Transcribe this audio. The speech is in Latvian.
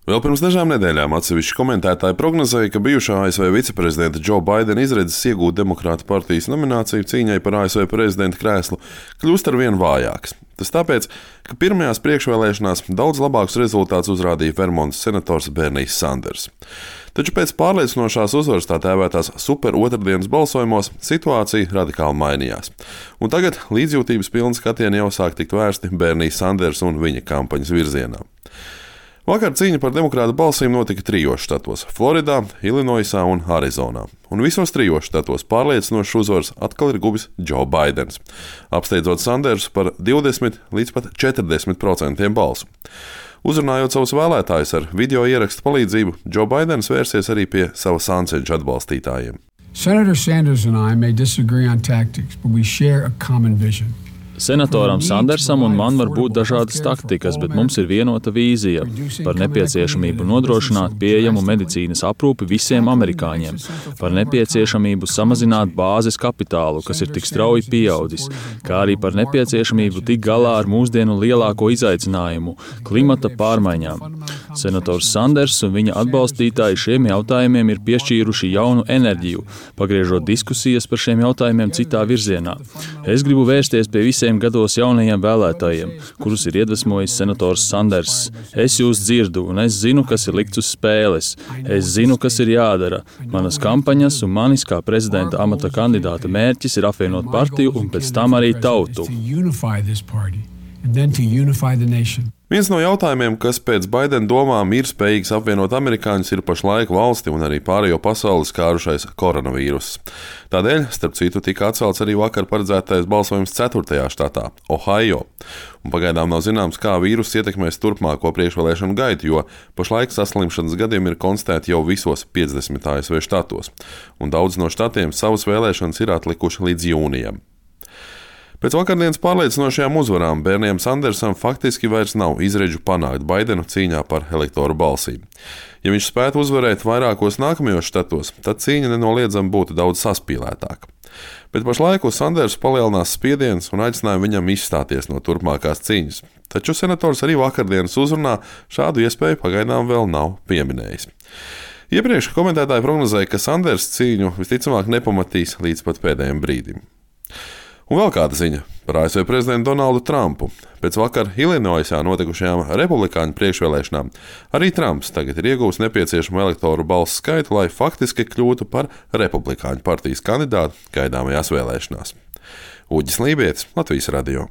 Vēl pirms dažām nedēļām atsevišķi komentētāji prognozēja, ka bijušā ASV viceprezidenta Džo Baidena izredzes iegūt Demokrātu partijas nomināciju cīņai par ASV prezidenta krēslu kļūst arvien vājākas. Tas tāpēc, ka pirmajās priekšvēlēšanās daudz labākus rezultātus uzrādīja Vermontas senators Bernijs Sanders. Taču pēc pārliecinošās uzvaras tā tēvētās super otrdienas balsojumos situācija radikāli mainījās. Un tagad līdzjūtības pilni skatieni jau sāk tikt vērsti Bernijs Sanders un viņa kampaņas virzienā. Vakar cīņa par demokrātu balsīm notika 3 štatos – Floridā, Ilinoisā un Arizonā. Un visos 3 štatos pārliecinošas uzvaras atkal ir guvis Džo Baidens, apsteidzot Sandersu par 20 līdz pat 40% balsu. Uzrunājot savus vēlētājus ar video ierakstu palīdzību, Džo Baidens vērsies arī pie sava sāncenša atbalstītājiem. Senator Sanders and I may disagree on tactics, but we share a common vision. Senatoram Sandersam un man var būt dažādas taktikas, bet mums ir vienota vīzija par nepieciešamību nodrošināt pieejamu medicīnas aprūpi visiem amerikāņiem, par nepieciešamību samazināt bāzes kapitālu, kas ir tik strauji pieaudzis, kā arī par nepieciešamību tikt galā ar mūsdienu lielāko izaicinājumu – klimata pārmaiņām. Senators Sanders un viņa atbalstītāji šiem jautājumiem ir piešķīruši jaunu enerģiju, pagriežot diskusijas par šiem jautājumiem citā virzienā. Es gribu vērsties pie visiem gados jaunajiem vēlētājiem, kurus ir iedvesmojis senators Sanders. Es jūs dzirdu, un es zinu, kas ir likts uz spēles. Es zinu, kas ir jādara. Manas kampaņas un manis kā prezidenta amata kandidāta mērķis ir apvienot partiju un pēc tam arī tautu. Viens no jautājumiem, kas pēc Baidena domām ir spējīgs apvienot amerikāņus, ir pašlaik valsti un arī pārējo pasauli skārušais koronavīruss. Tādēļ, starp citu, tika atcelts arī vakar paredzētais balsojums 4. štatā – Ohio. Un pagaidām nav zināms, kā vīruss ietekmēs turpmāko priekšvēlēšanu gaitu, jo pašlaik saslimšanas gadījumi ir konstatēti jau visos 50 ASV štatos. Un daudz no štatiem savas vēlēšanas ir atlikuši līdz jūnijam. Pēc vakardienas pārliecinošajām uzvarām Bernijam Sandersam faktiski vairs nav izredzu panākt Baidenu cīņā par elektoru balsīm. Ja viņš spētu uzvarēt vairākos nākamajos štatos, tad cīņa nenoliedzami būtu daudz saspīlētāka. Bet pašlaik uz Sandersu palielinās spiediens un aicināja viņam izstāties no turpmākās cīņas. Taču senators arī vakardienas uzrunā šādu iespēju pagaidām vēl nav pieminējis. Iepriekš komentētāji prognozēja, ka Sanders cīņu visticamāk nepamatīs līdz pat pēdējiem brīdim. Un vēl kāda ziņa par ASV prezidentu Donaldu Trumpu. Pēc vakar Ilinoisā notikušajām republikāņu priekšvēlēšanām arī Trumps tagad ir iegūs nepieciešamo elektoru balsu skaitu, lai faktiski kļūtu par republikāņu partijas kandidātu gaidāmajās vēlēšanās. Uģis Lībietis, Latvijas radio.